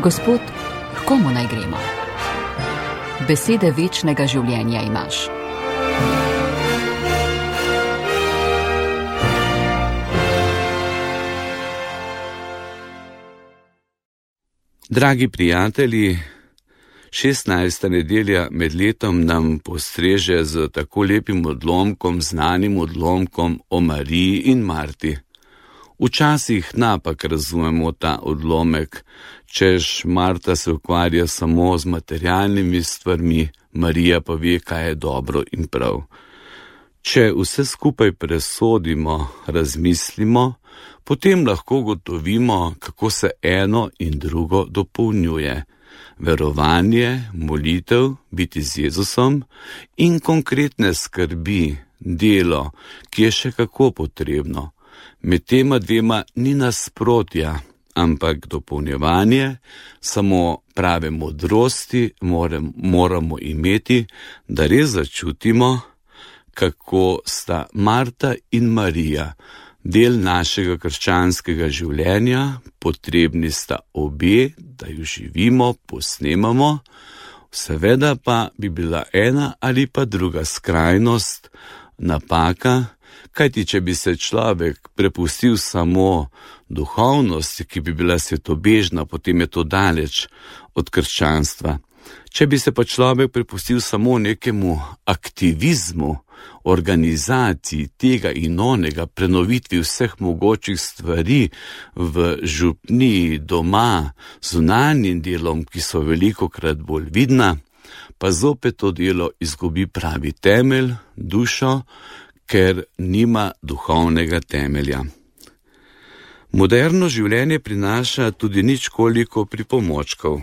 Gospod, h komu naj gremo? Besede večnega življenja imaš. Dragi prijatelji, 16. nedelja med letom nam postreže z tako lepim odlomkom, znanim odlomkom o Mariji in Marti. Včasih napak razumemo ta odlomek, češ Marta se ukvarja samo z materialnimi stvarmi, Marija pa ve, kaj je dobro in prav. Če vse skupaj presodimo, razmislimo, potem lahko ugotovimo, kako se eno in drugo dopolnjuje. Verovanje, molitev, biti z Jezusom in konkretne skrbi, delo, ki je še kako potrebno. Med tema dvema ni nasprotja, ampak dopolnjevanje, samo prave modrosti moramo imeti, da res začutimo, kako sta Marta in Marija del našega krščanskega življenja, potrebni sta obe, da jo živimo, posnemamo, seveda pa bi bila ena ali pa druga skrajnost napaka, kajti če bi se človek prepustil samo duhovnosti, ki bi bila svetobežna, potem je to daleč od krščanstva. Če bi se pa človek prepustil samo nekemu aktivizmu, organizaciji tega in onega, prenovitvi vseh mogočih stvari v župniji, doma, zunanjim delom, ki so velikokrat bolj vidna, pa zopet to delo izgubi pravi temelj, dušo, ker nima duhovnega temelja. Moderno življenje prinaša tudi ničkoliko pripomočkov.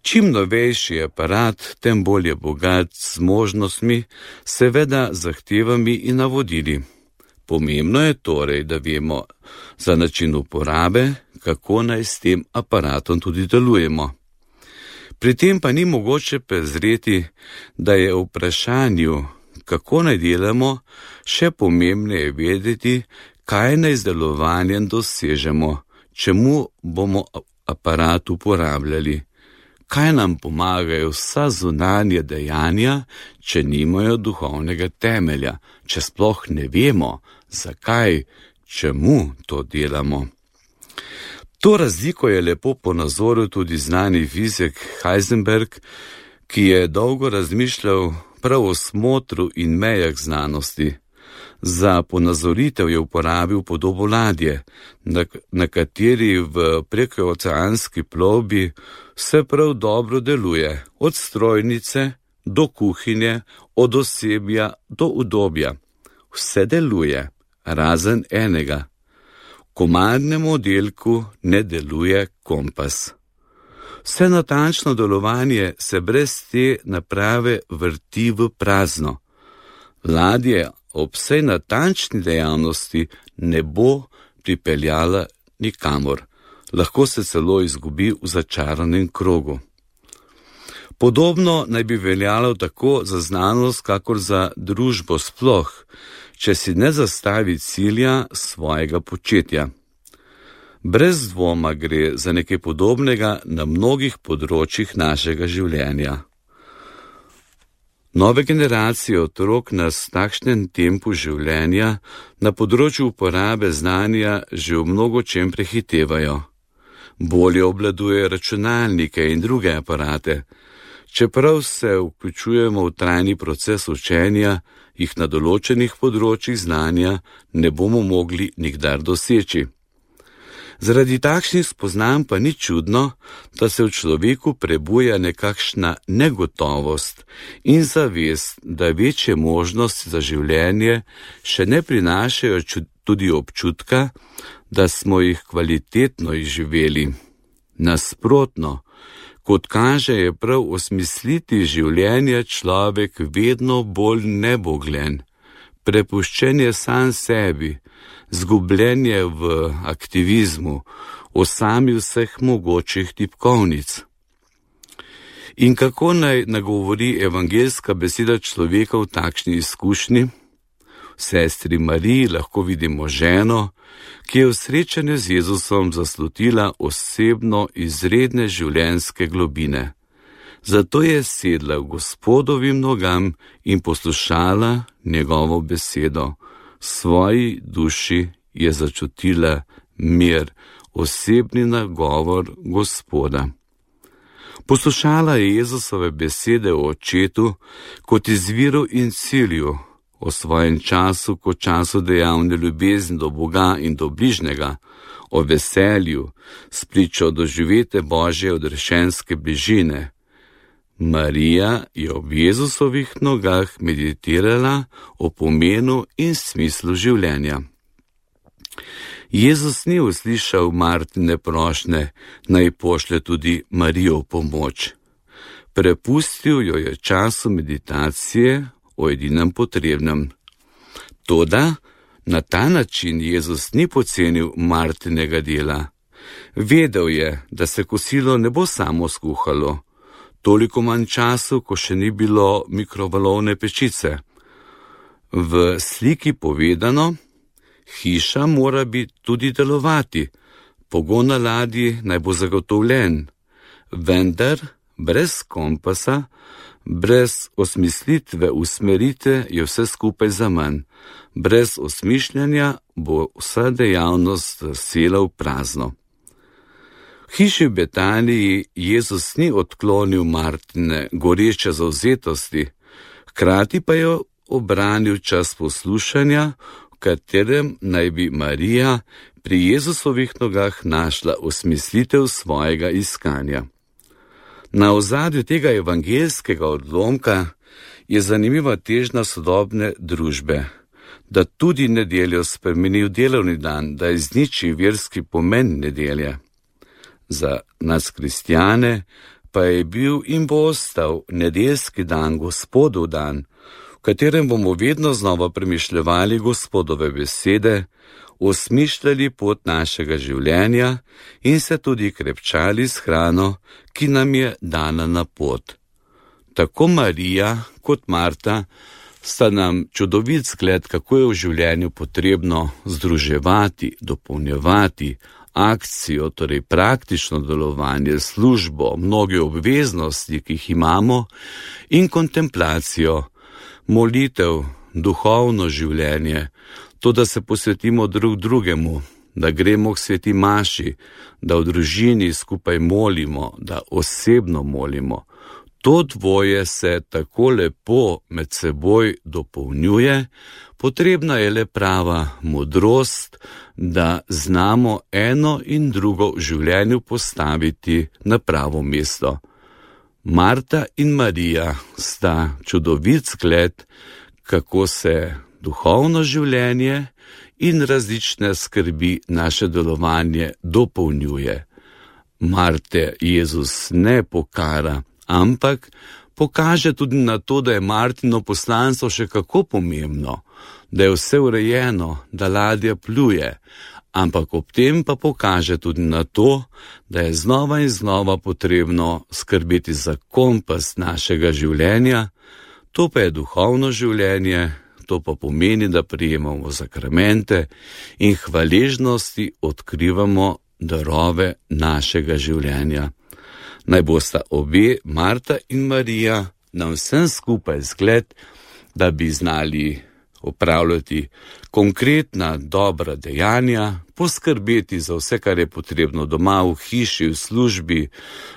Čim novejši aparat, tem bolj je bogat z možnostmi, seveda zahtevami in navodili. Pomembno je torej, da vemo za način uporabe, kako naj s tem aparatom tudi delujemo. Pri tem pa ni mogoče prezreti, da je v vprašanju, kako naj delamo, še pomembneje vedeti, kaj naj z delovanjem dosežemo, čemu bomo aparat uporabljali. Kaj nam pomagajo vsa zunanja dejanja, če nimajo duhovnega temelja, če sploh ne vemo, zakaj, čemu to delamo. To razliko je lepo ponazoril tudi znani fizik Heisenberg, ki je dolgo razmišljal prav o smotru in mejah znanosti. Za ponazoritev je uporabil podobo ladje, na kateri v prekooceanski plovbi vse prav dobro deluje, od strojnice do kuhinje, od osebja do udobja. Vse deluje, razen enega. V komadnem oddelku ne deluje kompas. Vse natančno delovanje se brez te naprave vrti v prazno. Ladje ob vsej natančni dejavnosti ne bo pripeljala nikamor. Lahko se celo izgubi v začaranem krogu. Podobno naj bi veljalo tako za znanost, kakor za družbo sploh, če si ne zastavi cilja svojega početja. Brez dvoma gre za nekaj podobnega na mnogih področjih našega življenja. Nove generacije otrok nas v takšnem tempu življenja na področju uporabe znanja že v mnogočem prehitevajo. Bolje obvladujejo računalnike in druge aparate. Čeprav se vključujemo v trajni proces učenja, jih na določenih področjih znanja ne bomo mogli nikdar doseči. Zaradi takšnih spoznanj pa ni čudno, da se v človeku prebuja nekakšna negotovost in zavest, da večje možnosti za življenje še ne prinašajo tudi občutka, da smo jih kvalitetno izživeli. Nasprotno, kot kaže, je prav osmisliti življenja človek vedno bolj neboglen, prepuščen je sam sebi, zgubljenje v aktivizmu, o sami vseh mogočih tipkovnic. In kako naj nagovori evangeljska beseda človeka v takšni izkušnji? V sestri Mariji lahko vidimo ženo, ki je v srečanju z Jezusom zaslutila osebno izredne življenjske globine. Zato je sedla v Gospodovim nogam in poslušala njegovo besedo. V svoji duši je začutila mir, osebni nagovor Gospoda. Poslušala je Jezusove besede o Očetu kot izviru in cilju, o svojem času kot času dejavne ljubezni do Boga in do bližnjega, o veselju, spričo doživete Božje odrešenske bližine. Marija je ob Jezusovih nogah meditirala o pomenu in smislu življenja. Jezus ni uslišal Martine prošnje, naj pošlje tudi Marijo v pomoč. Prepustil jo je času meditacije o edinem potrebnem. Toda na ta način Jezus ni pocenil Martinega dela. Vedel je, da se kosilo ne bo samo skuhalo, toliko manj času, ko še ni bilo mikrovalovne pečice. V sliki povedano, hiša mora biti tudi delovati, pogon na ladji naj bo zagotovljen, vendar brez kompasa, brez osmislitve usmerite je vse skupaj zaman. Brez osmišljanja bo vsa dejavnost sela v prazno. V hiši v Betaniji Jezus ni odklonil Martine goreče zavzetosti, hkrati pa je obranil čas poslušanja, v katerem naj bi Marija pri Jezusovih nogah našla osmislitev svojega iskanja. Na ozadju tega evangeljskega odlomka je zanimiva težnja sodobne družbe, da tudi nedeljo spremeni v delovni dan, da izniči verski pomen nedelje. Za nas kristjane pa je bil in bo ostal nedeljski dan Gospodov dan, v katerem bomo vedno znova premišljevali Gospodove besede, osmišljali pot našega življenja in se tudi krepčali s hrano, ki nam je dana na pot. Tako Marija kot Marta sta nam čudovit zgled, kako je v življenju potrebno združevati, dopolnjevati akcijo, torej praktično delovanje, službo, mnoge obveznosti, ki jih imamo, in kontemplacijo, molitev, duhovno življenje, to, da se posvetimo drug drugemu, da gremo k sveti maši, da v družini skupaj molimo, da osebno molimo. To dvoje se tako lepo med seboj dopolnjuje, potrebna je le prava modrost, da znamo eno in drugo v življenju postaviti na pravo mesto. Marta in Marija sta čudovit zgled, kako se duhovno življenje in različne skrbi naše delovanje dopolnjuje. Marte Jezus ne pokara, ampak pokaže tudi na to, da je Martino poslanstvo še kako pomembno, da je vse urejeno, da ladja pluje, ampak ob tem pa pokaže tudi na to, da je znova in znova potrebno skrbeti za kompas našega življenja, to pa je duhovno življenje, to pa pomeni, da prijemamo zakramente in hvaležnosti odkrivamo darove našega življenja. Naj bosta obe, Marta in Marija, nam vsem skupaj zgled, da bi znali opravljati konkretna dobra dejanja, poskrbeti za vse, kar je potrebno doma, v hiši, v službi,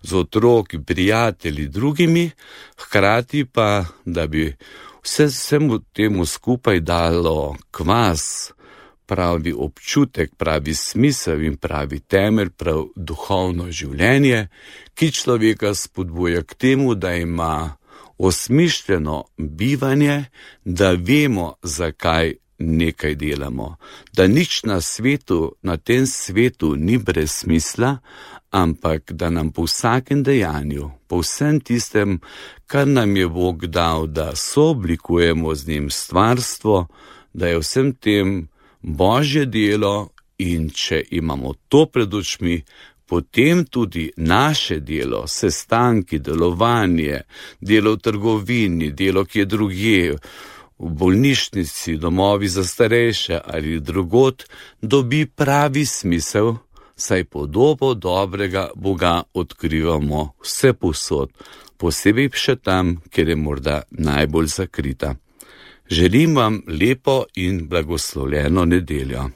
z otroki, prijatelji, drugimi, hkrati pa, da bi vsemu temu skupaj dalo kvas, pravi občutek, pravi smisel in pravi temelj, prav duhovno življenje, ki človeka spodbuja k temu, da ima osmišljeno bivanje, da vemo, zakaj nekaj delamo, da nič na svetu, na tem svetu ni brez smisla, ampak da nam po vsakem dejanju, po vsem tistem, kar nam je Bog dal, da sooblikujemo z njim stvarstvo, da je vsem tem Božje delo, in če imamo to pred očmi, potem tudi naše delo, sestanki, delovanje, delo v trgovini, delo, ki je drugje, v bolnišnici, domovi za starejše ali drugod, dobi pravi smisel, saj podobo dobrega Boga odkrivamo vse povsod, posebej še tam, kjer je morda najbolj zakrita. Želim vam lepo in blagoslovljeno nedeljo.